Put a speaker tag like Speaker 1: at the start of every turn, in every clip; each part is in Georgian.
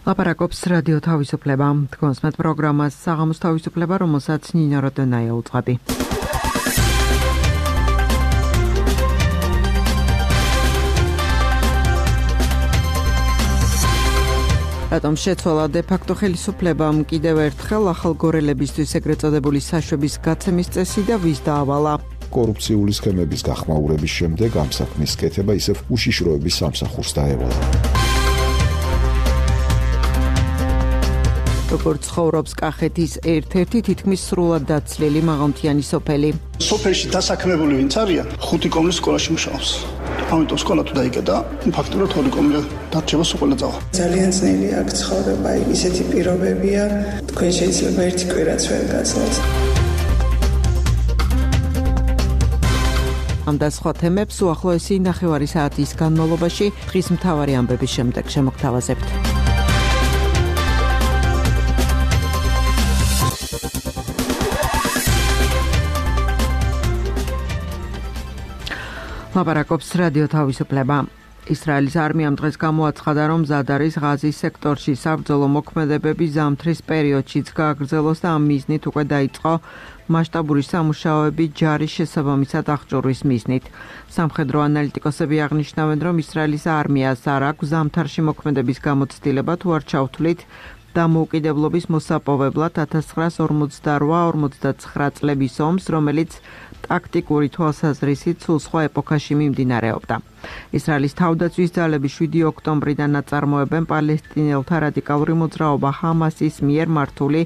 Speaker 1: ლაპარაკობს რადიო თავისუფლება. თქვენს პროგრამას საღამოს თავისუფლება, რომელსაც ნინო როდონაია უწყობი. რატომ შეცვალა დე-ფაქტო ხელისუფლებამ კიდევ ერთხელ ახალგორელებისთვის ეგრეთ წოდებული საშვების გაცემის წესი და ვის დაავალა?
Speaker 2: კორუფციული სქემების გახმაურების შემდეგ ამ საქმის კეთება ისევ უშიშროების სამსახურს დაევალა.
Speaker 1: როგორც ცხოვრობს კახეთის ერთ-ერთი თითქმის სრულად დაცლილი მაღალმთიანი სოფელი.
Speaker 3: სოფელში დასაქმებული ვინც არიან, 5 კომლის სკოლაში მუშაობს. ამიტომ სკოლა თუ დაიკეტა, ფაქტურად 2 კომლი დარჩება სკოლა წავა.
Speaker 4: ძალიან ძნელი აქ ცხოვრება, ისეთი პირობებია, თქვენ შეიძლება ერთი კვირაც ვერ გასცეთ.
Speaker 1: ამ და სხვა თემებს უახლოესი 9 საათის განმავლობაში დღის მთავარი ამბების შემდეგ შემოგთავაზებთ. ლაპარაკობს რადიო თავისუფლება. ისრაელის არმიამ დღეს გამოაცხადა, რომ მზად არის ღაზის სექტორში საბრძოლო მოქმედებები ზამთრის პერიოდშიც გააგრძელოს და ამ მიზნით უკვე დაიწყო მასშტაბური სამუშაოები ჯარის შესაბამისად აღჭურვის მიზნით. სამხედრო ანალიტიკოსები აღნიშნავენ, რომ ისრაელის არმიას არ აქვს ზამთარში მოქმედების გამოცდილება თუ არ ჩავთვლით დამოუკიდებლობის მოსაპოვებლად 1948-49 წლების ომს, რომელიც ტაქტიკური თვალსაზრისით სულ სხვა ეპოქაში მიმდინარეობდა. ისრაელის თავდაცვის ძალები 7 ოქტომბრიდან აწარმოებენ პალესტინელთა რადიკალური მოძრაობა ჰამასის მიერ მართული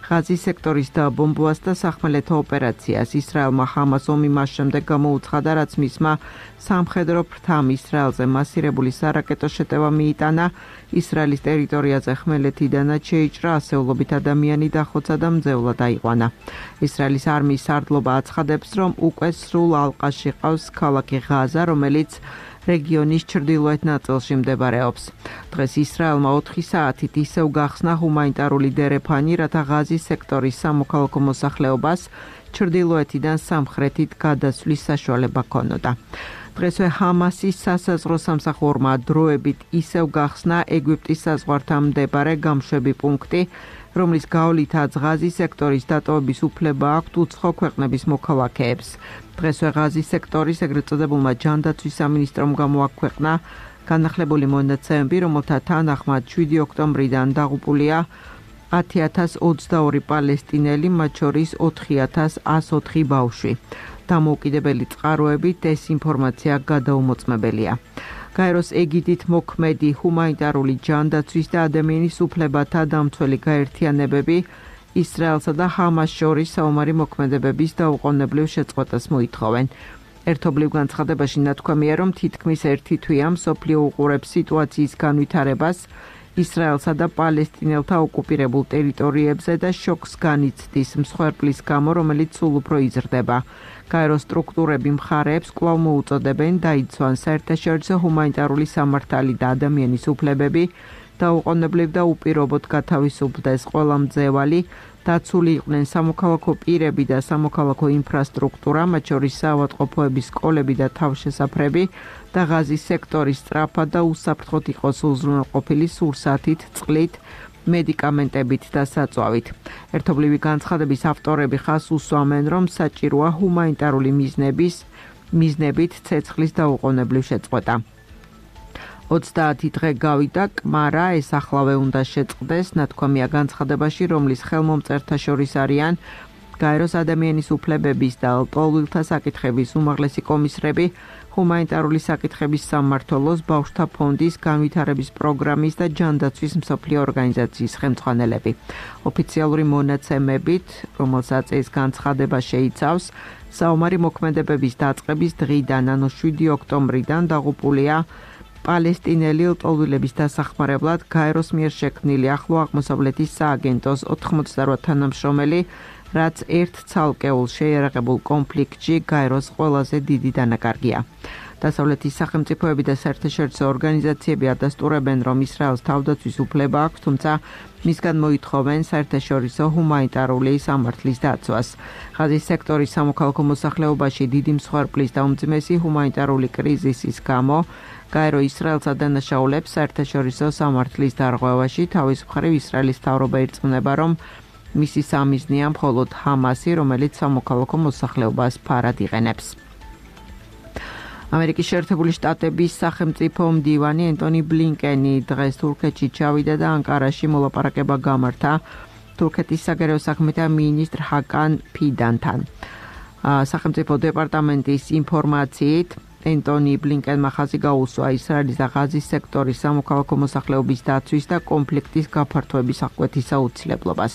Speaker 1: ღაზის სექტორის დაბომბვას და სახმელეთო ოპერაციას. ისრაელმა ჰამას ომი მას შემდეგ გამოუცხადა, რაც მისმა სამხედრო ფრთამ ისრაელზე მასირებული სარაკეტო შეტევა მიიტანა. ისრაელის ტერიტორიაზე ხმელეთიდანაც შეიჭრა, ასეულობით ადამიანი დახოცა და მძევლად დაიყვანა. ისრაელის არმიის სარდლობა აცხადებს, რომ უკვე სრულ ალყაში ყავს ქალაქი ღაზა, რომელიც რეგიონის ჩრდილოეთ ნაწილში მდებარეობს. დღეს ისრაელმა 4 საათით ისევ გახსნა ჰუმანიტარული დერეფანი, რათა ღაზის სექტორის სამოქალაქო მოსახლეობას ჩრდილოეთიდან სამხრეთით გადასვლის საშუალება ჰქონოდა. დღესვე ჰამასის სასაზღვრო სამსახურმა დროებით ისევ გახსნა ეგვიპტის საზღვართან მდებარე გამშვები პუნქტი, რომლის გავლითაც ღაზის სექტორის დატოვების უფლება აქვთ უცხო ქვეყნების მოქალაქეებს. დღესვე ღაზის სექტორის ეგრეთ წოდებულმა ჯანდაცვის სამინისტრომ გამოაქვეყნა განახლებული მონაცემები, რომელთა თანახმად 7 ოქტომბრიდან დაღუპულია 10,022 პალესტინელი, მათ შორის 4,104 ბავშვი. დამოუკიდებელი წყაროებით ეს ინფორმაცია გადაუმოწმებელია. გაეროს ეგიდით მოქმედი ჰუმანიტარული ჯანდაცვის და ადამიანის უფლებათა დამცველი გაერთიანებები ისრაელსა და ჰამას შორის საომარი მოქმედებების დაუყოვნებლივ შეწყვეტას მოითხოვენ. ერთობლივ განცხადებაში ნათქვამია, რომ თითქმის ერთი თვეა მსოფლიო უყურებს სიტუაციის განვითარებას ისრაელსა და პალესტინელთა ოკუპირებულ ტერიტორიებზე და შოკს განიცდის მსხვერპლის გამო, რომელიც სულ უფრო იზრდება. გაეროს სტრუქტურები მხარეებს კვლავ მოუწოდებენ დაიცვან საერთაშორისო ჰუმანიტარული სამართალი და ადამიანის უფლებები, დაუყოვნებლივ და უპირობოდ გათავისუფლდეს ყველა მძევალი, დაცული იყვნენ სამოქალაქო პირები და სამოქალაქო ინფრასტრუქტურა, მათ შორის საავადმყოფოების სკოლები და თავშესაფრები და ღაზის სექტორის სწრაფად და უსაფრთხოდ იყოს უზრუნველყოფილი სურსათით, წყლით, მედიკამენტებით და საწვავით. ერთობლივი განცხადების ავტორები ხაზს უსვამენ, რომ საჭიროა ჰუმანიტარული მიზნებით ცეცხლის დაუყოვნებლივ შეწყვეტა. 30 დღე გავიდა, კმარა ეს ახლავე უნდა შეწყდეს, ნათქვამია განცხადებაში, რომლის ხელმომწერთა შორის არიან გაეროს ადამიანის უფლებების და ლტოლვილთა საკითხების უმაღლესი კომისრები, ჰუმანიტარული საკითხების სამმართველოს, ბავშვთა ფონდის, განვითარების პროგრამის და ჯანდაცვის მსოფლიო ორგანიზაციის ხელმძღვანელები. ოფიციალური მონაცემებით, რომელსაც ეს განცხადება შეიცავს, საომარი მოქმედებების დაწყების დღიდან, ანუ 7 ოქტომბრიდან დაღუპულია პალესტინელი ლტოლვილების დასახმარებლად გაეროს მიერ შექმნილი ახლო აღმოსავლეთის სააგენტოს 88 თანამშრომელი, რაც ერთ ცალკეულ შეიარაღებულ კონფლიქტში გაეროს ყველაზე დიდი დანაკარგია. დასავლეთის სახელმწიფოები და საერთაშორისო ორგანიზაციები ადასტურებენ, რომ ისრაელს თავდაცვის უფლება აქვს, თუმცა მისგან მოითხოვენ საერთაშორისო ჰუმანიტარული სამართლის დაცვას. ღაზის სექტორის სამოქალაქო მოსახლეობაში დიდი მსხვერპლის და უმძიმესი ჰუმანიტარული კრიზისის გამო გაერო ისრაელსა დანაშაულებს საერთაშორისო სამართლის დარღვევაში. თავის მხრივ ისრაელის მთავრობა ირწმუნება, რომ მისი სამიზნეა მხოლოდ ჰამასი, რომელიც სამოქალაქო მოსახლეობას ფარად იყენებს. ამერიკის შეერთებული შტატების სახელმწიფო მდივანი ენტონი ბლინკენი დღეს თურქეთში ჩავიდა და ანკარაში მოლაპარაკება გამართა თურქეთის საგარეო საქმეთა მინისტრ ჰაკან ფიდანთან. სახელმწიფო დეპარტამენტის ინფორმაციით ენტონი ბლინკენმა ხაზი გაუსვა ისრაელის და ღაზის სექტორის სამოქალაქო მოსახლეობის დაცვის და კონფლიქტის გაფართოების აღკვეთის აუცილებლობას.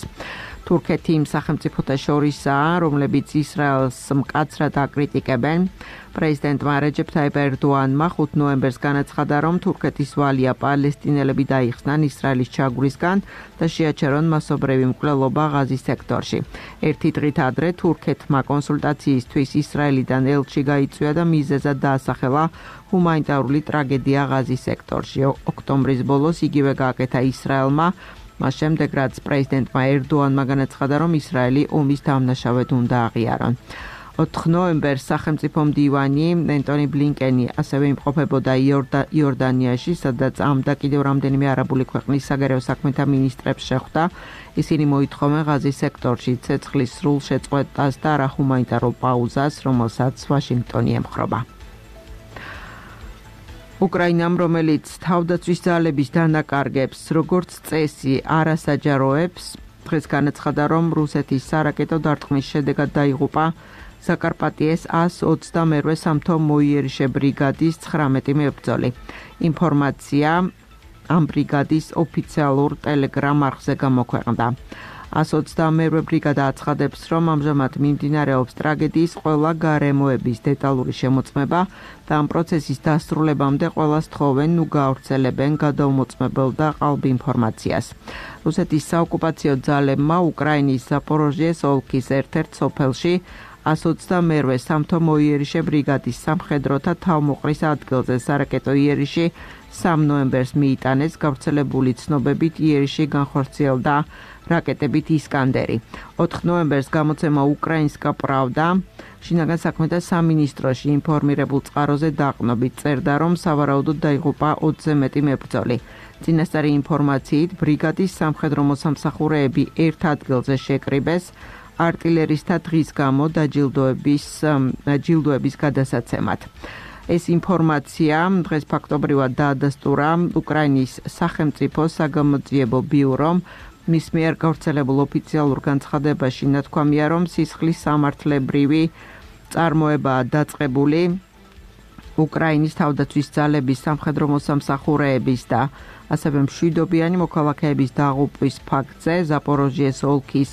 Speaker 1: თურქეთი იმ სახელმწიფოთა შორისაა, რომლებიც ისრაელს მკაცრად აკრიტიკებენ. პრეზიდენტმა რეჯეფ თაიპ ერდოანმა 5 ნოემბერს განაცხადა, რომ თურქეთის ვალია პალესტინელები დაიხსნან ისრაელის ჩაგვრისგან და შეაჩერონ მასობრივი მკვლელობა ღაზის სექტორში. ერთი დღით ადრე თურქეთმა კონსულტაციისთვის ისრაელიდან ელჩი გაიწვია და მიზეზად დაასახელა ჰუმანიტარული ტრაგედია ღაზის სექტორში. ოქტომბრის ბოლოს იგივე გააკეთა ისრაელმა, მას შემდეგ რაც პრეზიდენტმა ერდოანმა განაცხადა, რომ ისრაელი ომის დამნაშავედ უნდა აღიარონ. 4 ნოემბერს სახელმწიფო მდივანი ენტონი ბლინკენი ასევე იმყოფებოდა იორდანიაში, სადაც ამ და კიდევ რამდენიმე არაბული ქვეყნის საგარეო საქმეთა მინისტრებს შეხვდა. ისინი მოითხოვენ ღაზის სექტორში ცეცხლის სრულ შეწყვეტას და არაჰუმანიტარულ პაუზას, რომელსაც ვაშინგტონი ემხრობა. უკრაინამ, რომელიც თავდაცვის ძალების დანაკარგებს როგორც წესი არ ასაჯაროებს, დღეს განაცხადა, რომ რუსეთის სარაკეტო დარტყმის შედეგად დაიღუპა საკარპატიეს 122 სამთო მოიერიშე ბრიგადის 19 მებრძოლი. ინფორმაცია ამ ბრიგადის ოფიციალურ ტელეგრამ არხზე გამოქვეყნდა. 122 ბრიგადა აცხადებს, რომ ამჟამად მიმდინარეობს ტრაგედიის ყველა გარემოების დეტალური შემოწმება და ამ პროცესის დასრულებამდე ყველას თხოვენ ნუ გაავრცელებენ გადაუმოწმებელ და ყალბ ინფორმაციას. რუსეთის საოკუპაციო ძალებმა უკრაინის ზაპოროჟიეს ოლქის ერთ-ერთ სოფელში 122 სამთო მოიერიშე ბრიგადის სამხედროთა თავმოყრის ადგილზე სარაკეტო იერიში 3 ნოემბერს მიიტანეს. გავრცელებული ცნობებით იერიში განხორციელდა რაკეტებით ისკანდერი. 4 ნოემბერს გამოცემა უკრაინსკა პრავდა შინაგან საქმეთა სამინისტროში ინფორმირებულ წყაროზე დაყნობით წერდა, რომ სავარაუდოდ დაიღუპა 20-ზე მეტი მებრძოლი. წინასწარი ინფორმაციით ბრიგადის სამხედრო მოსამსახურეები ერთ ადგილზე შეკრიბეს არტილერისთა დღის გამო დაჯილდოების გადასაცემად. ეს ინფორმაცია დღეს ფაქტობრივად დაადასტურა უკრაინის სახელმწიფო საგამოძიებო ბიურომ. მის მიერ გავრცელებულ ოფიციალურ განცხადებაში ნათქვამია, რომ სისხლის სამართლებრივი წარმოებაა დაწყებული უკრაინის თავდაცვის ძალების სამხედრო მოსამსახურეების და ასევე მშვიდობიანი მოქალაქეების დაღუპვის ფაქტზე ზაპოროჟიეს ოლქის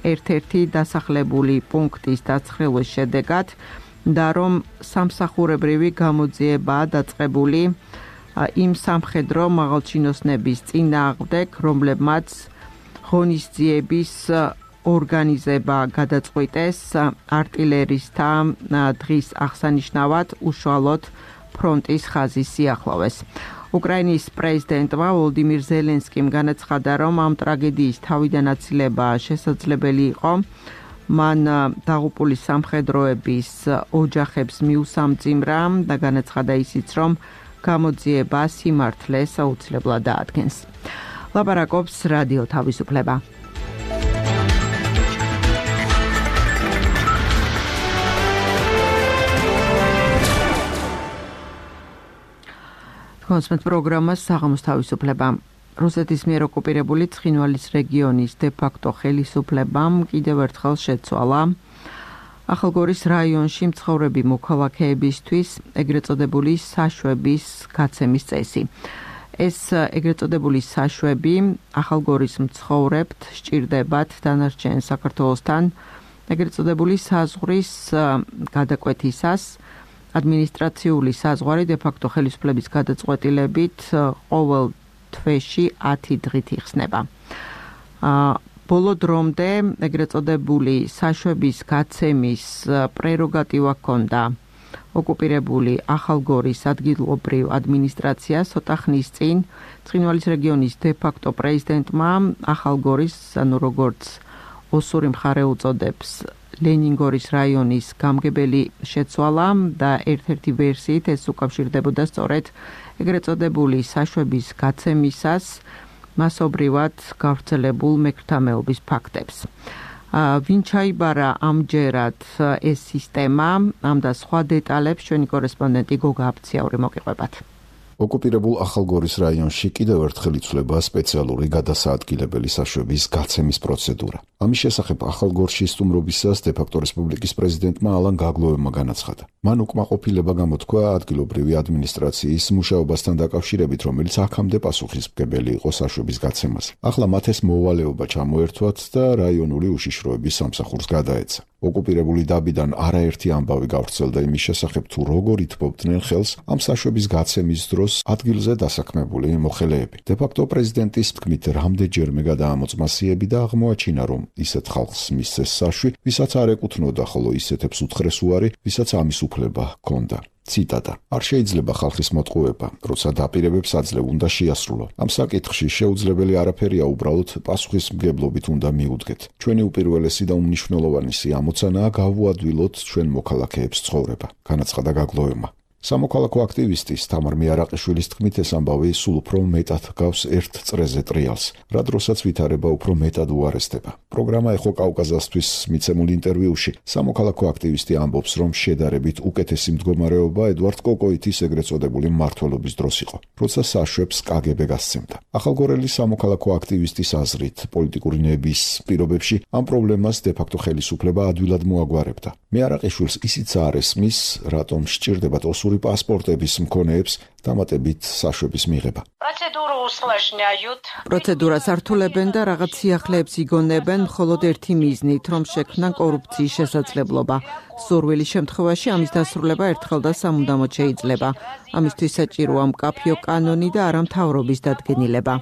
Speaker 1: ერთ-ერთი დასახლებული პუნქტის დაცხრილის შედეგად და რომ სამსახურებრივი გამოძიებაა დაწყებული იმ სამხედრო მაღალჩინოსნების წინააღმდეგ, რომლებმაც ღონისძიების ორგანიზება გადაწყვიტეს არტილერისთა დღის აღსანიშნავად უშუალოდ ფრონტის ხაზის სიახლოვეს. უკრაინის პრეზიდენტმა ვოლოდიმირ ზელენსკიმ განაცხადა, რომ ამ ტრაგედიის თავიდან აცილება შესაძლებელი იყო. მან დაღუპული სამხედროების ოჯახებს მიუსამძიმრა და განაცხადა ისიც, რომ გამოძიება სიმართლეს აუცილებლად დაადგენს. ლაპარაკობს რადიო თავისუფლება. კონსმეთ პროგრამას საღამოს თავისუფლება. რუსეთის მიერ ოკუპირებული ცხინვალის რეგიონის დე-ფაქტო ხელისუფლებამ კიდევ ერთხელ შეცვალა ახალგორის რაიონში მცხოვრები მოქალაქეებისთვის ეგრეთ წოდებული საშვების გაცემის წესი. ეს ეგრეთ წოდებული საშვები ახალგორის მცხოვრებთ სჭირდებათ დანარჩენ საქართველოსთან ეგრეთ წოდებული საზღვრის გადაკვეთისას. ადმინისტრაციული საზღვარი დე-ფაქტო ხელისუფლების გადაწყვეტილებით ყოველ თვეში 10 დღით იხსნება. ბოლო დრომდე ეგრეთ წოდებული საშვების გაცემის პრეროგატივა ჰქონდა ოკუპირებული ახალგორის ადგილობრივ ადმინისტრაციას ცოტა ხნის წინ ცხინვალის რეგიონის დე-ფაქტო პრეზიდენტმა ახალგორის, ანუ როგორც ოსური მხარე უწოდებს, ლენინგორის რაიონის გამგებელი შეცვალა და ერთ-ერთი ვერსიით ეს უკავშირდებოდა სწორედ ეგრეთ წოდებული საშვების გაცემისას მასობრივად გავრცელებულ მექრთამეობის ფაქტებს. ვინ ჩაიბარა ამჯერად ეს სისტემა, ამ და სხვა დეტალებს ჩვენი კორესპონდენტი გოგა აფციაური მოგიყვებათ.
Speaker 2: ოკუპირებულ ახალგორის რაიონში კიდევ ერთხელ იცვლება სპეციალური გადასაადგილებელი საშვების გაცემის პროცედურა. ამის შესახებ ახალგორში სტუმრობისას დე-ფაქტო რესპუბლიკის პრეზიდენტმა ალან გაგლოევმა განაცხადა. მან უკმაყოფილება გამოთქვა ადგილობრივი ადმინისტრაციის მუშაობასთან დაკავშირებით, რომელიც აქამდე პასუხისმგებელი იყო საშვების გაცემაზე. ახლა მათ ეს მოვალეობა ჩამოერთვათ და რაიონული უშიშროების სამსახურს გადაეცა. ოკუპირებული დაბიდან არაერთი ამბავი გავრცელდა იმის შესახებ, თუ როგორ ითბობდნენ ხელს ამ საშვების გაცემის დროს ადგილზე დასაქმებული მოხელეები. დე-ფაქტო პრეზიდენტის თქმით, რამდენჯერმე გადაამოწმასიები და აღმოაჩინა, რომ ისეთ ხალხს მისცეს საშვი, ვისაც არ ეკუთვნოდა, ხოლო ისეთებს უთხრეს უარი, ვისაც ამის უფლება ჰქონდა. ციტატა: არ შეიძლება ხალხის მოტყუება, როცა დაპირებებს აძლევ უნდა შეასრულო. ამ საკითხში შეუძლებელი არაფერია, უბრალოდ პასუხისმგებლობით უნდა მიუდგეთ. ჩვენი უპირველესი და უმნიშვნელოვანესი ამოცანაა გავუადვილოთ ჩვენ მოქალაქეებს ცხოვრება, განაცხადა გაგლოევმა. სამოქალაქო აქტივისტის თამარ მიარაყიშვილის თქმით, ეს ამბავი სულ უფრო მეტად გავს ერთ წრეზე ტრიალს, რა დროსაც ვითარება უფრო მეტად უარესდება. პროგრამა ეხო კავკაზასთვის მიცემულ ინტერვიუში სამოქალაქო აქტივისტი ამბობს, რომ შედარებით უკეთესი მდგომარეობა ედვარდ კოკოიტის ეგრეთ წოდებული მმართველობის დროს იყო, როცა საშვებს კგბ გასცემდა. ახალგორელი სამოქალაქო აქტივისტის აზრით, პოლიტიკური ნების პირობებში ამ პრობლემას დე-ფაქტო ხელისუფლება ადვილად მოაგვარებდა. მიარაყიშვილს ისიც არ ესმის, რატომ სჭირდებათ ოსური პასპორტების მქონეებს დამატებით საშვების მიღება.
Speaker 1: პროცედურას ართულებენ და რაღაც სიახლეებს იგონებენ მხოლოდ ერთი მიზნით, რომ შექმნან კორუფციის შესაძლებლობა. სურვილის შემთხვევაში ამის დასრულება ერთხელ და სამუდამოდ შეიძლება. ამისთვის საჭიროა მკაფიო კანონი და არა მთავრობის დადგენილება.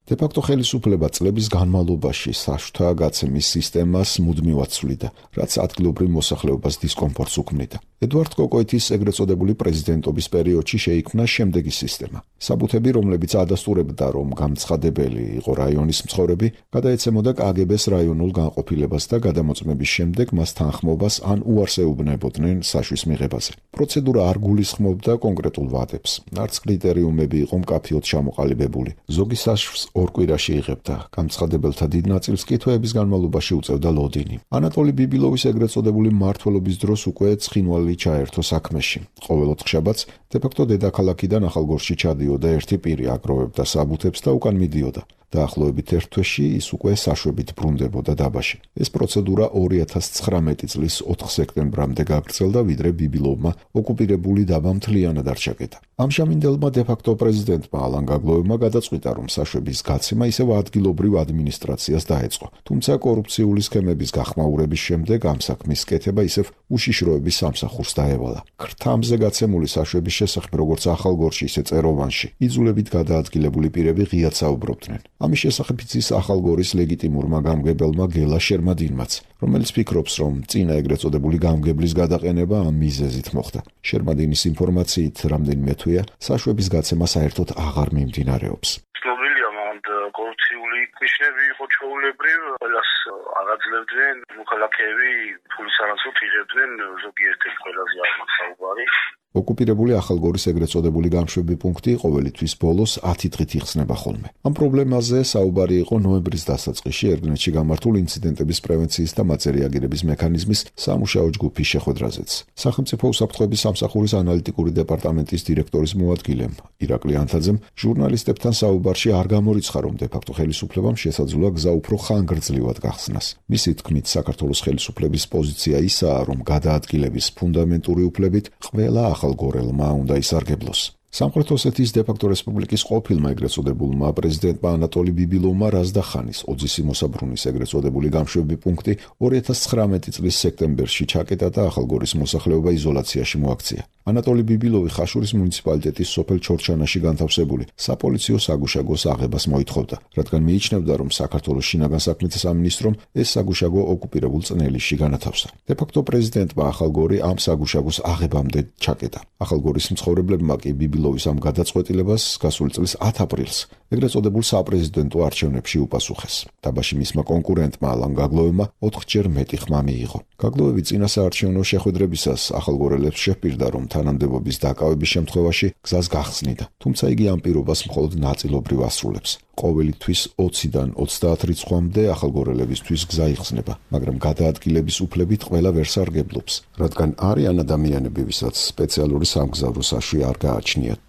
Speaker 2: დე-ფაქტო ხელისუფლება წლების განმავლობაში საშვთა გაცემის სისტემას მუდმივად ცვლიდა, რაც ადგილობრივ მოსახლეობას დისკომფორტს უქმნიდა. ედვარდ კოკოიტის ეგრეთ წოდებული პრეზიდენტობის პერიოდში შეიქმნა შემდეგი სისტემა. საბუთები, რომლებიც ადასტურებდა, რომ გამცხადებელი იყო რაიონის მცხოვრები, გადაეცემოდა კგბ-ს რაიონულ განყოფილებას და გადამოწმების შემდეგ მას თანხმობას ან უარს ეუბნებოდნენ საშვის მიღებაზე. პროცედურა არ გულისხმობდა კონკრეტულ ვადებს, არც კრიტერიუმები იყო მკაფიოდ ჩამოყალიბებული. ზოგი საშვს ორ კვირაში იღებდა, გამცხადებელთა დიდ ნაწილს კი თვეების განმავლობაში უწევდა ლოდინი. ანატოლი ბიბილოვის ეგრეთ წოდებული მმართველობის დროს უკვე ცხინვალი ჩაერთო საქმეში. ყოველ ოთხშაბათს დე-ფაქტო დედაქალაქიდან ახალგორში ჩადიოდა ერთი პირი, აგროვებდა საბუთებს და უკან მიდიოდა. დაახლოებით ერთ თვეში ის უკვე საშვებით ბრუნდებოდა დაბაში. ეს პროცედურა 2019 წლის 4 სექტემბრამდე გაგრძელდა, ვიდრე ბიბილოვმა ოკუპირებული დაბა მთლიანად არ ჩაკეტა. ამჟამინდელმა დე-ფაქტო პრეზიდენტმა ალან გაგლოევმა გადაწყვიტა, რომ საშვების გაცემა ისევ ადგილობრივ ადმინისტრაციას დაეწყო. თუმცა კორუფციული სქემების გახმაურების შემდეგ ამ საქმის კეთება ისევ უშიშროების სამსახურს დაევალა. ქრთამზე გაცემული საშვების შესახებ, როგორც ახალგორში, ისე წეროვანში, იძულებით გადაადგილებული პირები ღიად საუბრობდნენ. ამის შესახებ იცის ახალგორის ლეგიტიმურმა გამგებელმა გელა შერმადინმაც, რომელიც ფიქრობს, რომ წინა ეგრეთ წოდებული გამგებლის გადაყენება ამ მიზეზით მოხდა. შერმადინის ინფორმაციით, რამდენიმე თვეა საშვების გაცემა საერთოდ აღარ მიმდინარეობს.
Speaker 5: ცნობილია, მანდ კორუფციული ნიშნები იყო ჩვეულებრივ, ყველას აღაძლებდნენ, მოქალაქეები ფულის არასრულად იღებდნენ, ზოგიერთი ყველაზე აღმათ საუბარი.
Speaker 2: ოკუპირებული ახალგორის ეგრეთ წოდებული გამშვები პუნქტი ყოველთვის ბოლოს 10 დღით იხსნება ხოლმე. ამ პრობლემაზე საუბარი იყო ნოემბრის დასაწყისში ერგნეთში გამართულ ინციდენტების პრევენციის და მაწერიაგირების მექანიზმის სამუშაო ჯგუფის შეხვედრაზეც. სახელმწიფო უსაფრთხოების სამსახურის ანალიტიკური დეპარტამენტის დირექტორის მოადგილემ ირაკლი ანთაძემ ჟურნალისტებთან საუბარში არ გამორიცხა, რომ დე-ფაქტო ხელისუფლებამ შესაძლოა გზა უფრო ხანგრძლივად გახსნას. მისი თქმით, საქართველოს ხელისუფლების პოზიცია ისაა, რომ გადაადგილების ფუნდამენტური უფლებით ყველა ახალგორელმა უნდა ისარგებლოს. სამხრეთ ოსეთის დე-ფაქტო რესპუბლიკის ყოფილმა ეგრეთ წოდებულმა პრეზიდენტმა ანატოლი ბიბილოვმა რაზდახანის ოძისი მოსაბრუნის ეგრეთ წოდებული გამშვები პუნქტი 2019 წლის სექტემბერში ჩაკეტა და ახალგორის მოსახლეობა იზოლაციაში მოაქცია. ანატოლი ბიბილოვი ხაშურის მუნიციპალიტეტის სოფელ ჩორჩანაში განთავსებული საპოლიციო საგუშაგოს აღებას მოითხოვდა, რადგან მიიჩნევდა, რომ საქართველოს შინაგან საქმეთა სამინისტრომ ეს საგუშაგო ოკუპირებულ წნეულში განათავსა. დე-ფაქტო პრეზიდენტმა ახალგორი ამ საგუშაგოს აღებამდე ჩაკეტა. ახალგორის მცხოვრებლებმა კი ბიბილოვის ამ გადაწყვეტილებას გასული წლის 10 აპრილს ეგრეთ წოდებულ საპრეზიდენტო არჩევნებში უპასუხეს. დაბაში მისმა კონკურენტმა ალან გაგლოვებმა 4-ჯერ მეტი ხმა მიიღო. გაგლოვები წინა საარჩევნო შეხვედრებისას ახალგორელებს შეჰპირდა, რომ თანამდებობის დაკავების შემთხვევაში გზას გახსნიდა, თუმცა იგი ამ პირობას მხოლოდ ნაწილობრივ ასრულებს. ყოველი თვის 20-დან 30 რიცხვამდე ახალგორელებისთვის გზა იხსნება, მაგრამ გადაადგილების უფლებით ყველა ვერ სარგებლობს, რადგან არიან ადამიანები, ვისაც სპეციალური სამგზავრო საშვი არ გააჩნიათ.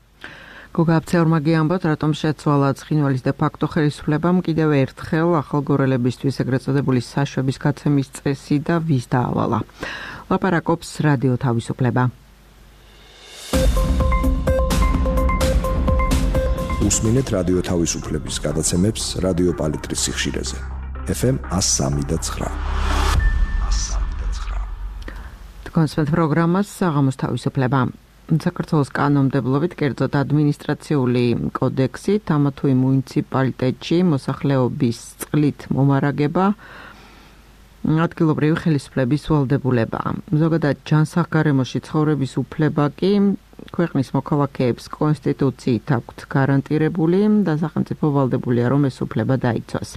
Speaker 1: გოგა აფცეორმა გიამბოთ, რატომ შეცვალა ცხინვალის დე-ფაქტო ხელისუფლებამ კიდევ ერთხელ ახალგორელებისთვის ეგრეთ წოდებული საშვების გაცემის წესი და ვის დაავალა. ლაპარაკობს რადიო თავისუფლება.
Speaker 6: უსმინეთ რადიო თავისუფლების გადაცემებს რადიო პალიტრის სიხშირეზე. FM 103.9.
Speaker 1: კონსპექტ პროგრამას საღამოს თავისუფლება. საქართველოს კანონმდებლობით, კერძოდ ადმინისტრაციული კოდექსით, ამა თუ იმ მუნიციპალიტეტში მოსახლეობის წყლით მომარაგება ადგილობრივი ხელისუფლების ვალდებულებაა. ზოგადად ჯანსაღგარემოში ცხოვრების უფლება კი ქვეყნის მოქალაქეებს კონსტიტუციით აქვთ გარანტირებული და სახელმწიფო ვალდებულია, რომ ეს უფლება დაიცვას.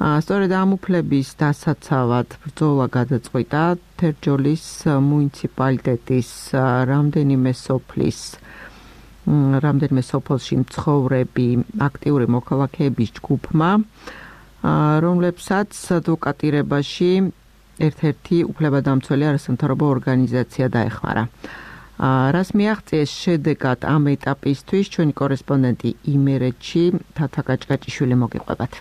Speaker 1: სწორედ ამ უფლების დასაცავად ბრძოლა გადაწყვიტა თერჯოლის მუნიციპალიტეტის რამდენიმე სოფელში მცხოვრები აქტიური მოქალაქეების ჯგუფმა, რომლებსაც ადვოკატირებაში ერთ-ერთი უფლებადამცველი არასამთავრობო ორგანიზაცია დაეხმარა. რას მიაღწიეს შედეგად ამ ეტაპისთვის ჩვენი კორესპონდენტი იმერეთში თათა გაჭგაჭიშვილი მოგიყვებათ.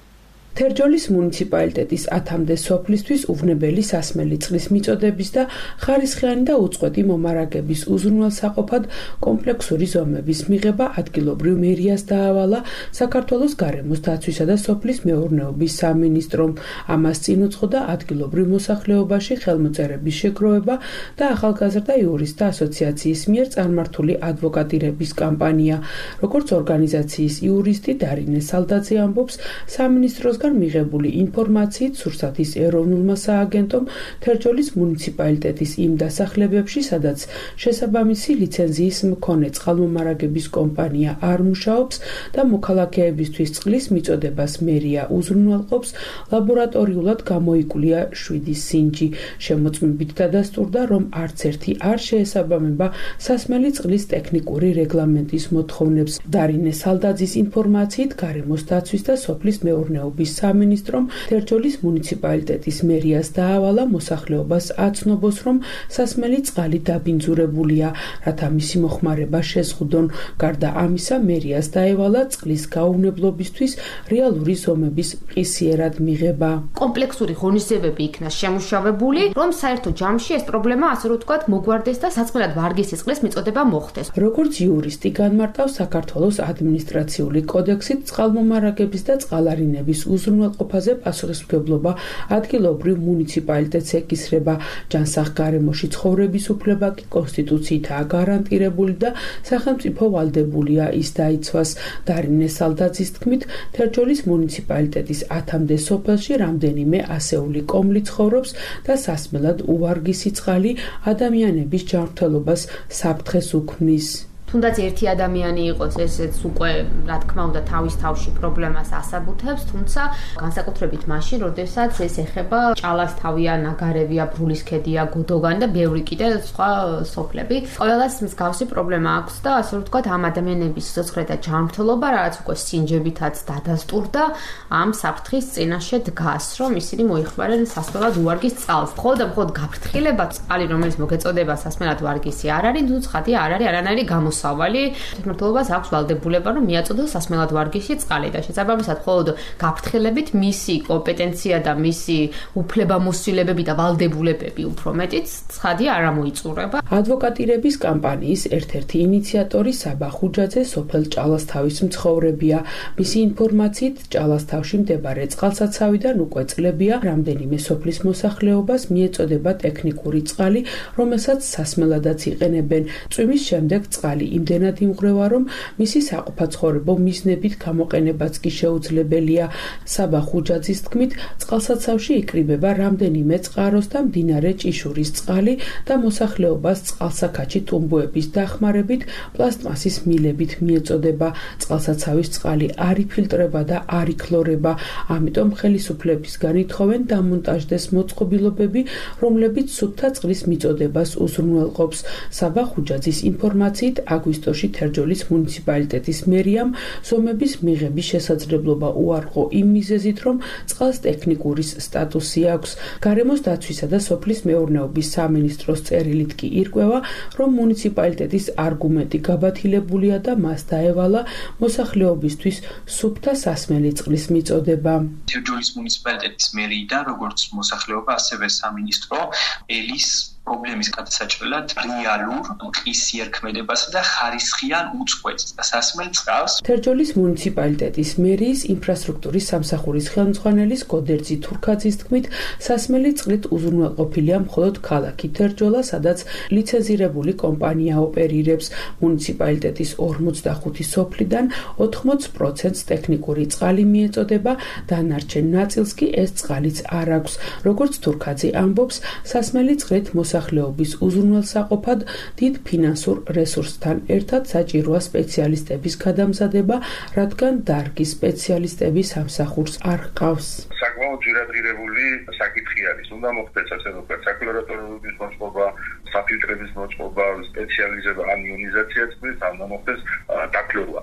Speaker 7: თერჯოლის მუნიციპალიტეტის 10-მდე სოფლისთვის უვნებელი სასმელი წყლის მიწოდების და ხარისხიანი და უწყვეტი მომარაგების უზრუნველსაყოფად კომპლექსური ზომების მიღება ადგილობრივ მერიას დაავალა საქართველოს გარემოს დაცვისა და სოფლის მეურნეობის სამინისტრომ. ამას წინ უძღოდა ადგილობრივ მოსახლეობაში ხელმოწერების შეგროვება და ახალგაზრდა იურისტთა ასოციაციის მიერ წარმართული ადვოკატირების კამპანია. როგორც ორგანიზაციის იურისტი დარინე სალდაძე ამბობს, სამინისტროს მიღებული ინფორმაციით სურსათის ეროვნულმა სააგენტომ თერჯოლის მუნიციპალიტეტის იმ დასახლებებში, სადაც შესაბამისი ლიცენზიის მქონე წყალმომარაგების კომპანია არ მუშაობს და მოქალაქეებისთვის წყლის მიწოდებას მერია უზრუნველყოფს, ლაბორატორიულად გამოიკვლია 7 სინჯი. შემოწმებით დადასტურდა, რომ არც ერთი არ შეესაბამება სასმელი წყლის ტექნიკური რეგლამენტის მოთხოვნებს. დარინე სალდაძის ინფორმაციით გარემოს დაცვის და სოფლის მეურნეობის სამინისტრომ თერჯოლის მუნიციპალიტეტის მერიას დაავალა მოსახლეობას აცნობს, რომ სასმელი წყალი დაბინძურებულია, რათა მისი მოხმარება შეზღუდონ. გარდა ამისა, მერიას დაევალა წყლის გაუვნებლობისთვის რეალური ზომების მყისიერად მიღება.
Speaker 8: კომპლექსური ღონისძიებები იქნა შემუშავებული, რომ საერთო ჯამში ეს პრობლემა, ასე რომ ვთქვათ, მოგვარდეს და საწყლად ვარგისი წყლის მიწოდება მოხდეს.
Speaker 7: როგორც იურისტი განმარტავს, საქართველოს ადმინისტრაციული კოდექსით წყალმომარაგების და წყალარინების უზრუნველყოფაზე პასუხისმგებლობა ადგილობრივ მუნიციპალიტეტს ეკისრება. ჯანსაღგარემოში ცხოვრების უფლება კი კონსტიტუციითაა გარანტირებული და სახელმწიფო ვალდებულია ის დაიცვას. დარინე სალდაძის თქმით, თერჯოლის მუნიციპალიტეტის 10-მდე სოფელში რამდენიმე ასეული კომლი ცხოვრობს და სასმელად უვარგისი წყალი ადამიანების ჯანმრთელობას საფრთხეს უქმნის.
Speaker 8: თუნდაც ერთი ადამიანი იყოს, ესეც უკვე, რა თქმა უნდა, თავის თავში პრობლემას ასაბუთებს, თუმცა განსაკუთრებით მაშინ, როდესაც ეს ეხება ჭალასთავია, ნაგარევია, ბრულისქედია, გოდოგანი და ბევრი კიდე სხვა სოფლები. ყველას მსგავსი პრობლემა აქვს და ასე რომ ვთქვათ, ამ ადამიანების სიცოცხლე და ჯანმრთელობა, რაც უკვე სინჯებითაც დადასტურდა, ამ საფრთხის წინაშე დგას, რომ ისინი მოიხმარენ სასმელად უვარგის წყალს. მხოლოდ გაფრთხილება წყალი, რომელიც მოგეწოდება სასმელად ვარგისი არ არის, თუ ცხადია არ არის არანაირი გამოსავალი. გამოსავალი. თვითმმართველობას აქვს ვალდებულება, რომ მიაწოდოს სასმელად ვარგისი წყალი და შესაბამისად მხოლოდ გაფრთხილებით მისი კომპეტენცია და მისი უფლებამოსილებები და ვალდებულებები უფრო მეტიც ცხადია არ ამოიწურება.
Speaker 7: ადვოკატირების კამპანიის ერთ-ერთი ინიციატორი საბა ხუჯაძე სოფელ ჭალასთავის მცხოვრებია. მისი ინფორმაციით ჭალასთავში მდებარე წყალსაცავიდან უკვე წლებია რამდენიმე სოფლის მოსახლეობას მიეწოდება ტექნიკური წყალი, რომელსაც სასმელადაც იყენებენ. წვიმის შემდეგ წყალი იმდენად იმღრევა, რომ მისი საყოფაცხოვრებო მიზნებით გამოყენებაც კი შეუძლებელია. საბა ხუჯაძის თქმით, წყალსაცავში იკრიბება რამდენიმე წყაროს და მდინარე ჭიშურის წყალი და მოსახლეობას წყალსაქაჩი ტუმბოების დახმარებით პლასტმასის მილებით მიეწოდება. წყალსაცავის წყალი არ იფილტრება და არ იქლორება, ამიტომ ხელისუფლებისგან ითხოვენ დამონტაჟდეს მოწყობილობები, რომლებიც სუფთა წყლის მიწოდებას უზრუნველყოფს. საბა ხუჯაძის ინფორმაციით, აგვისტოში თერჯოლის მუნიციპალიტეტის მერიამ ზომების მიღების შესაძლებლობა უარყო იმ მიზეზით, რომ წყალს ტექნიკური სტატუსი აქვს. გარემოს დაცვისა და სოფლის მეურნეობის სამინისტროს წერილით კი ირკვევა, რომ მუნიციპალიტეტის არგუმენტი გაბათილებულია და მას დაევალა მოსახლეობისთვის სუფთა სასმელი წყლის მიწოდება.
Speaker 9: თერჯოლის მუნიციპალიტეტის მერიიდან, როგორც მოსახლეობა, ასევე სამინისტრო ელის პრობლემის გადასაჭრელად რეალურ მყის იერქმედებასა და ხარისხიან უწყვეტს და სასმელ წყალს.
Speaker 7: თერჯოლის მუნიციპალიტეტის მერიის ინფრასტრუქტურის სამსახურის ხელმძღვანელის გოდერძი თურქაძის თქმით, სასმელი წყლით უზრუნველყოფილია მხოლოდ ქალაქი თერჯოლა, სადაც ლიცენზირებული კომპანია ოპერირებს. მუნიციპალიტეტის 45 სოფლიდან 80%-ს ტექნიკური წყალი მიეწოდება, დანარჩენ ნაწილს კი ეს წყალიც არ აქვს. როგორც თურქაძე ამბობს, სასმელი წყლით მოსახლეობის უზრუნველსაყოფად დიდ ფინანსურ რესურსთან ერთად საჭიროა სპეციალისტების გადამზადება, რადგან დარგის სპეციალისტები სამსახურს არ ჰყავს.
Speaker 5: საკმაოდ ძირადღირებული საკითხი არის. უნდა მოხდეს ასე ვთქვათ, საკლორატურების მოწყობა, საფილტრების მოწყობა, სპეციალიზება ან იონიზაცია წყლის, უნდა მოხდეს დაკლორვა.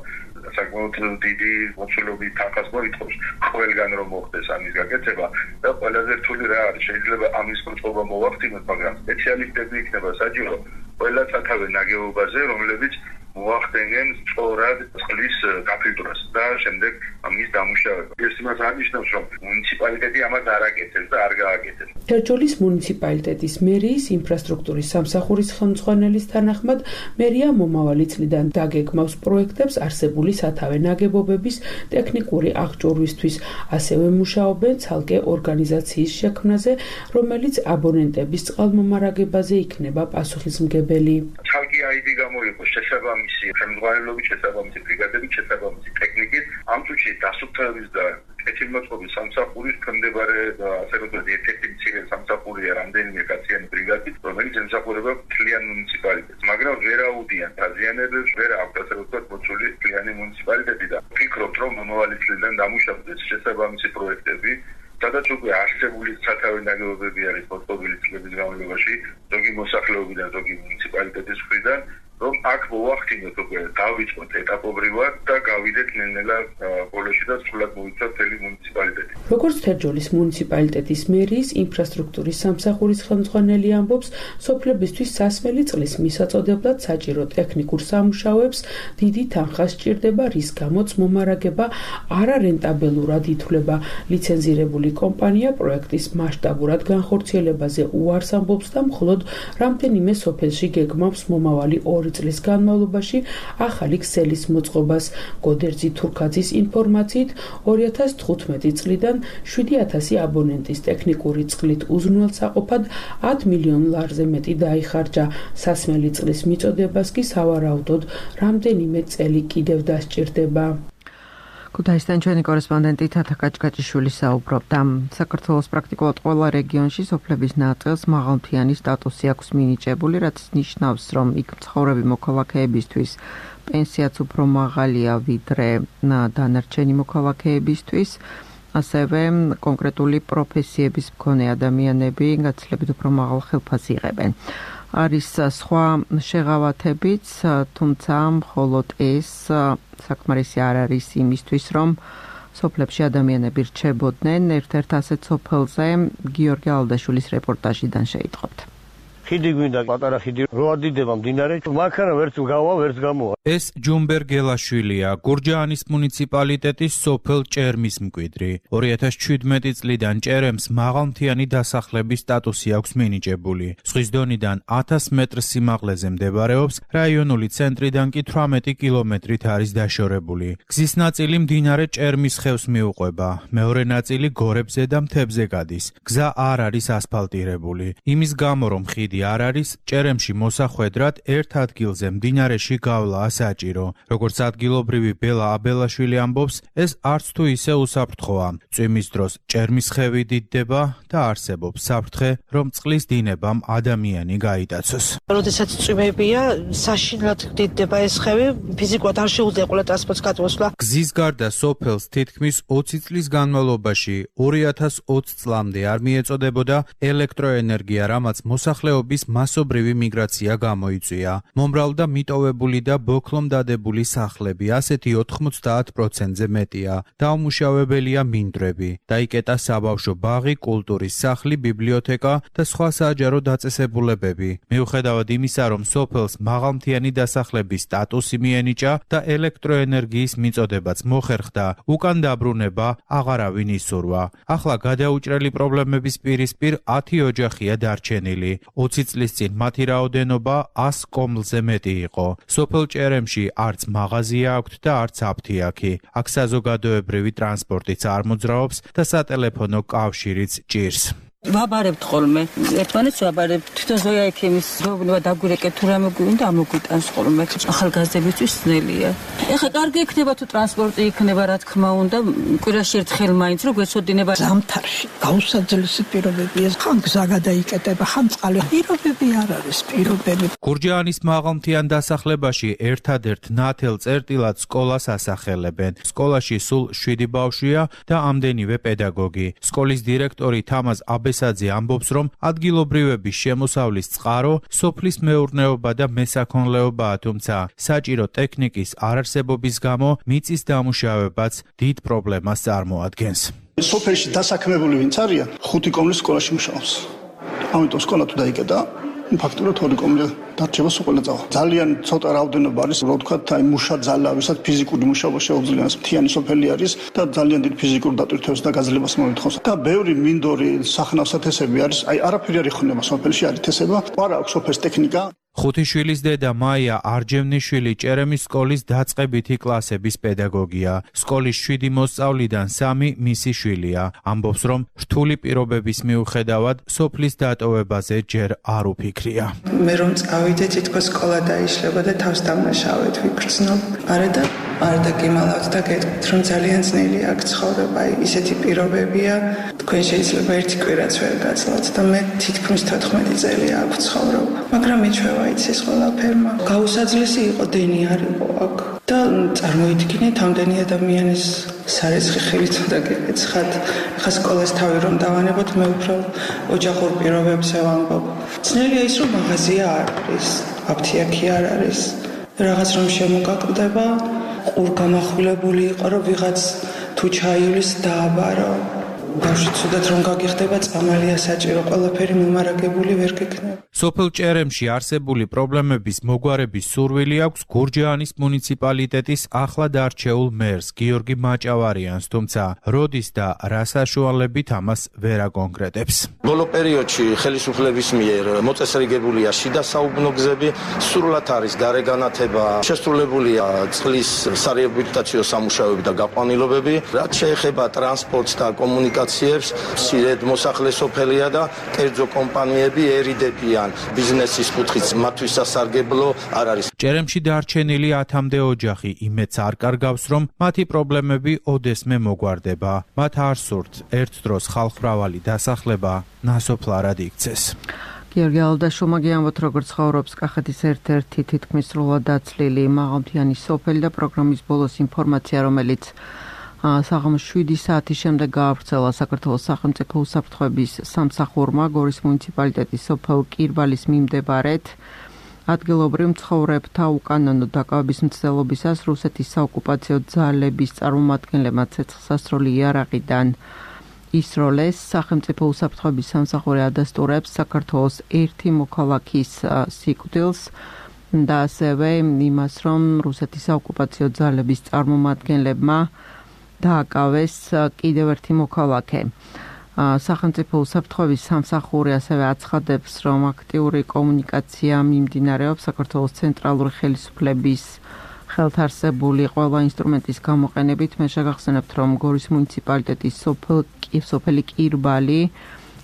Speaker 5: საკმაოდ დიდი მოცულობის თანხას მოითხოვს ყველგან რომ მოხდეს ამის გაკეთება და ყველაზე რთული რა არის, შეიძლება ამის მოწყობა მოვახდინოთ, მაგრამ სპეციალისტები იქნება საჭირო ყველა სათავე ნაგებობაზე, რომლებიც მოახდენენ სწორად წყლის გაფილტრებას და შემდეგ ამის დამუშავება. ეს იმას აღნიშნავს, რომ მუნიციპალიტეტი ამას არ აკეთებს და არ გააკეთებს.
Speaker 7: თერჯოლის მუნიციპალიტეტის მერიის ინფრასტრუქტურის სამსახურის ხელმძღვანელის თანახმად, მერია მომავალი წლიდან დაგეგმავს პროექტებს არსებული სათავე ნაგებობების ტექნიკური აღჭურვისთვის. ასევე მუშაობენ ცალკე ორგანიზაციის შექმნაზე, რომელიც აბონენტების წყალმომარაგებაზე იქნება პასუხისმგებელი.
Speaker 5: ცალკე აიდი გამოიყოს შესაბამისი ხელმძღვანელობით, შესაბამისი ბრიგადებით, შესაბამისი ტექნიკით, ამ წუთში დასუფთავების და კეთილმოწყობის სამსახურის მიმდებარე ასე ვთქვათ, ერთ-ერთი მცირე სამსახურია რამდენიმე კაციანი ბრიგადით, რომელიც ემსახურება მთლიან მუნიციპალიტეტს, მაგრამ ვერ აუდიან დაზიანებებს, ვერ აქვს ასე ვთქვათ, მოცული მთლიანი მუნიციპალიტეტი და ვფიქრობთ, რომ მომავალი წლიდან დამუშავდეს შესაბამისი პროექტები, სადაც უკვე არსებული სათავე ნაგებობები არის მოწყობილი წლების განმავლობაში, ზოგი მოსახლეობიდან, ზოგი მუნიციპალიტეტის მხრიდან, რომ აქ მოვახდინოთ უკვე დავიწყოთ ეტაპობრივად და გავიდეთ ნელ-ნელა ბოლოში და სრულად მოვიცავთ მთელი მუნიციპალიტეტი.
Speaker 7: როგორც თერჯოლის მუნიციპალიტეტის მერიის ინფრასტრუქტურის სამსახურის ხელმძღვანელი ამბობს, სოფლებისთვის სასმელი წყლის მისაწოდებლად საჭირო ტექნიკურ სამუშაოებს დიდი თანხა სჭირდება, რის გამოც მომარაგება არარენტაბელურად ითვლება. ლიცენზირებული კომპანია პროექტის მასშტაბურად განხორციელებაზე უარს ამბობს და მხოლოდ რამდენიმე სოფელში გეგმავს მომავალი 2 წლის განმავლობაში ახალი ქსელის მოწყობას. გოდერძი თურქაძის ინფორმაციით 2015 წლიდან 7000 აბონენტის ტექნიკური წყლით უზრუნველსაყოფად 10 მილიონ ლარზე მეტი დაიხარჯა. სასმელი წყლის მიწოდებას კი სავარაუდოდ რამდენიმე წელი კიდევ დასჭირდება.
Speaker 1: ქუთაისიდან ჩვენი კორესპონდენტი თათა კაჭკაჭიშვილი საუბრობდა. საქართველოს პრაქტიკულად ყველა რეგიონში სოფლების ნაწილს მაღალმთიანი სტატუსი აქვს მინიჭებული, რაც ნიშნავს, რომ იქ მცხოვრები მოქალაქეებისთვის პენსიაც უფრო მაღალია ვიდრე დანარჩენი მოქალაქეებისთვის. ასევე კონკრეტული პროფესიების მქონე ადამიანები გაცილებით უფრო მაღალ ხელფასს იღებენ. არის სხვა შეღავათებიც, თუმცა მხოლოდ ეს საკმარისი არ არის იმისთვის, რომ სოფლებში ადამიანები რჩებოდნენ. ერთ-ერთ ასეთ სოფელზე გიორგი ალდაშვილის რეპორტაჟიდან შეიტყობთ.
Speaker 10: ხიდი გვინდა, პატარა ხიდი რო ადიდება მდინარე, მანქანა ვერც გავა, ვერც გამოვა.
Speaker 11: ეს ჯუმბერ გელაშვილია, გურჯაანის მუნიციპალიტეტის სოფელ ჭერმის მკვიდრი. 2017 წლიდან ჭერემს მაღალმთიანი დასახლების სტატუსი აქვს მინიჭებული. ზღვის დონიდან 1000 მეტრ სიმაღლეზე მდებარეობს, რაიონული ცენტრიდან კი 18 კილომეტრით არის დაშორებული. გზის ნაწილი მდინარე ჭერმის ხევს მიუყვება, მეორე ნაწილი გორებზე და მთებზე გადის. გზა არ არის ასფალტირებული. იმის გამო, რომ ხიდი არ არის, ჭერემში მოსახვედრად ერთ ადგილზე მდინარეში გავლაა საჭირო. როგორც ადგილობრივი ბელა აბელაშვილი ამბობს, ეს არც თუ ისე უსაფრთხოა. წვიმის დროს ჭერმის ხევი დიდდება და არსებობს საფრთხე, რომ წყლის დინებამ ადამიანი გაიტაცოს.
Speaker 12: როდესაც წვიმებია, საშინლად დიდდება ეს ხევი, ფიზიკურად არ შეუძლია ყველა ტრანსპორტს გადმოსვლა.
Speaker 11: გზის გარდა სოფელს თითქმის 20 წლის განმავლობაში 2020 წლამდე არ მიეწოდებოდა ელექტროენერგია, რამაც მოსახლეობის მასობრივი მიგრაცია გამოიწვია. მომრავლდა მიტოვებული და ბოქლომდადებული სახლები, ასეთი 90%-ზე მეტია. დაუმუშავებელია მინდვრები. დაიკეტა საბავშვო ბაღი, კულტურის სახლი, ბიბლიოთეკა და სხვა საჯარო დაწესებულებები. მიუხედავად იმისა, რომ სოფელს მაღალმთიანი დასახლების სტატუსი მიენიჭა და ელექტროენერგიის მიწოდებაც მოხერხდა, უკან დაბრუნება აღარავინ ისურვა. ახლა გადაუჭრელი პრობლემების პირისპირ 10 ოჯახია დარჩენილი. 20 წლის წინ მათი რაოდენობა 100 კომლზე მეტი იყო. სოფელ ჭერემში არც მაღაზია აქვთ და არც აფთიაქი. აქ საზოგადოებრივი ტრანსპორტიც არ მოძრაობს და სატელეფონო კავშირიც ჭირს.
Speaker 12: ვაბარებთ ხოლმე. ერთმანეთს ვაბარებთ. თვითონ ზოია ექიმის ზოგადად დაგვირეკეთ თუ რამე გვინდა ამოგვიტანს ხოლმე. ახალგაზრდებისთვის ძნელია. ეხლა კარგი იქნება თუ ტრანსპორტი იქნება, რა თქმა უნდა, კვირაში ერთხელ მაინც რო გვეცოდინება.
Speaker 13: ზამთარში გაუსაძელესი პირობებია. ხან გზა გადაიკეტება, ხან წყალი. პირობები არ არის პირობები.
Speaker 11: გურჯაანის მაღალმთიან დასახლებაში ერთადერთ ნათელ წერტილად სკოლას ასახელებენ. სკოლაში სულ 7 ბავშვია და ამდენივე პედაგოგი. სკოლის დირექტორი თამაზ აბესაძე ამბობს, რომ ადგილობრივების შემოსავლის წყარო სოფლის მეურნეობა და მესაქონლეობაა, თუმცა საჭირო ტექნიკის არარსებობის გამო მიწის დამუშავებაც დიდ პრობლემას წარმოადგენს.
Speaker 3: სოფელში დასაქმებული ვინც არიან, 5 კომლის სკოლაში მუშაობს. ამიტომ სკოლა თუ დაიკეტა, ფაქტურად 2 კომლი დარჩება სკოლა წავა. ძალიან ცოტა რაოდენობა არის, რო ვთქვათ, აი მუშა ძალა, ვისაც ფიზიკური მუშაობა შეუძლია, მთიანი სოფელი არის და ძალიან დიდ ფიზიკურ დატვირთვას და გაძლებას მოითხოვს. და ბევრი მინდორი სახნავსათესები არის, აი არაფერი არ იხუნება სოფელში, არის თესება, არა აქვს სოფელს ტექნიკა.
Speaker 11: ხუთიშვილის დედა მაია არჯევნიშვილი ჭერემის სკოლის დაწყებითი კლასების პედაგოგია. სკოლის 7 მოსწავლიდან 3 მისი შვილია. ამბობს, რომ რთული პირობების მიუხედავად სოფლის დატოვებაზე ჯერ არ უფიქრია.
Speaker 4: მე რომ წავიდე, თითქოს სკოლა დაიშლება და თავს დამნაშავედ ვიგრძნობ. არ დაგიმალავთ და გეტყვით, რომ ძალიან ძნელი აქ ცხოვრება, ისეთი პირობებია, თქვენ შეიძლება ერთი კვირაც ვერ გაცლოთ და მე თითქმის 14 წელი აქ ვცხოვრობ. მაგრამ მიჩვევა იცის ყველაფერმა. გაუსაძლესი იყო, დენი არ იყო აქ. და წარმოიდგინეთ, ამდენი ადამიანის სარეცხი ხელით უნდა გეკეცხათ. ხა სკოლას თავი რომ დავანებოთ, მე უფრო ოჯახურ პირობებზე ვამბობ. ძნელია ის, რომ მაღაზია არ არის, აფთიაქი არ არის. რაღაც რომ შემოგაკლდება, ყურ გამახვილებული იყო, რომ ვიღაც თუ ჩაივლის დააბარო. ბავშვი ცუდად რომ გაგიხდება, წამალია საჭირო, ყველაფერი მომარაგებული ვერ გექნება.
Speaker 11: სოფელ ჭერემში არსებული პრობლემების მოგვარების სურვილი აქვს გურჯაანის მუნიციპალიტეტის ახლად არჩეულ მერს გიორგი მაჭავარიანს, თუმცა როდის და რა საშუალებით ამას ვერ აკონკრეტებს.
Speaker 14: ბოლო პერიოდში ხელისუფლების მიერ მოწესრიგებულია შიდა საუბნო გზები, სრულად არის გარეგანათება, შესრულებულია წყლის სარეაბილიტაციო სამუშაოები და გაყვანილობები, რაც შეეხება ტრანსპორტს და კომუნიკაციებს, მცირედ მოსახლე სოფელია და კერძო კომპანიები ერიდებიან. ბიზნესის კუთხით მათთვის სასარგებლო არ არის.
Speaker 11: ჭერემში დარჩენილი 10-მდე ოჯახი იმედს არ კარგავს, რომ მათი პრობლემები ოდესმე მოგვარდება. მათ არ სურთ ერთ დროს ხალხმრავალი დასახლება ნასოფლარად იქცეს.
Speaker 1: გიორგი ალდაშვილმა გიამბოთ, როგორც ცხოვრობს კახეთის ერთ-ერთი თითქმის სრულად დაცლილი მაღალმთიანი სოფელი და პროგრამის ბოლოს ინფორმაცია, რომელიც საღამოს 7 საათის შემდეგ გაავრცელა საქართველოს სახელმწიფო უსაფრთხოების სამსახურმა გორის მუნიციპალიტეტის სოფელ კირვალის მიმდებარედ ადგილობრივ მცხოვრებთა უკანონო დაკავების მცდელობისას რუსეთის საოკუპაციო ძალების წარმომადგენლებმა ცეცხლსასროლი იარაღიდან ისროლეს სახელმწიფო უსაფრთხოების სამსახური ადასტურებს საქართველოს ერთი მოქალაქის სიკვდილს და ასევე იმას, რომ რუსეთის საოკუპაციო ძალების წარმომადგენლებმა დააკავეს კიდევ ერთი მოქალაქე. სახელმწიფო უსაფრთხოების სამსახური ასევე აცხადებს, რომ აქტიური კომუნიკაცია მიმდინარეობს საქართველოს ცენტრალური ხელისუფლების ხელთარსებული ყველა ინსტრუმენტის გამოყენებით. მე შეგახსენებთ, რომ გორის მუნიციპალიტეტის სოფელი კირბალი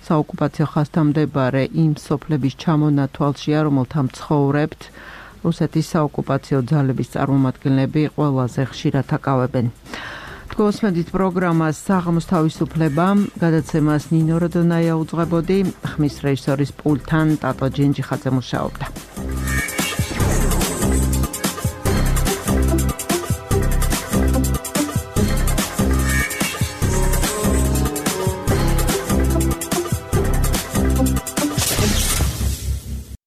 Speaker 1: საოკუპაციო ხაზთამდებარე იმ სოფლების ჩამონათვალშია, რომელთა მცხოვრებთ რუსეთის საოკუპაციო ძალების წარმომადგენლები ყველაზე ხშირად აკავებენ. გოსმედით პროგრამას საღამოს თავისუფლება, გადაცემას ნინო როდონაია უძღვებოდი, ხმის რეჟისორის პულტთან ტატო ჯენჯიხაძე მუშაობდა.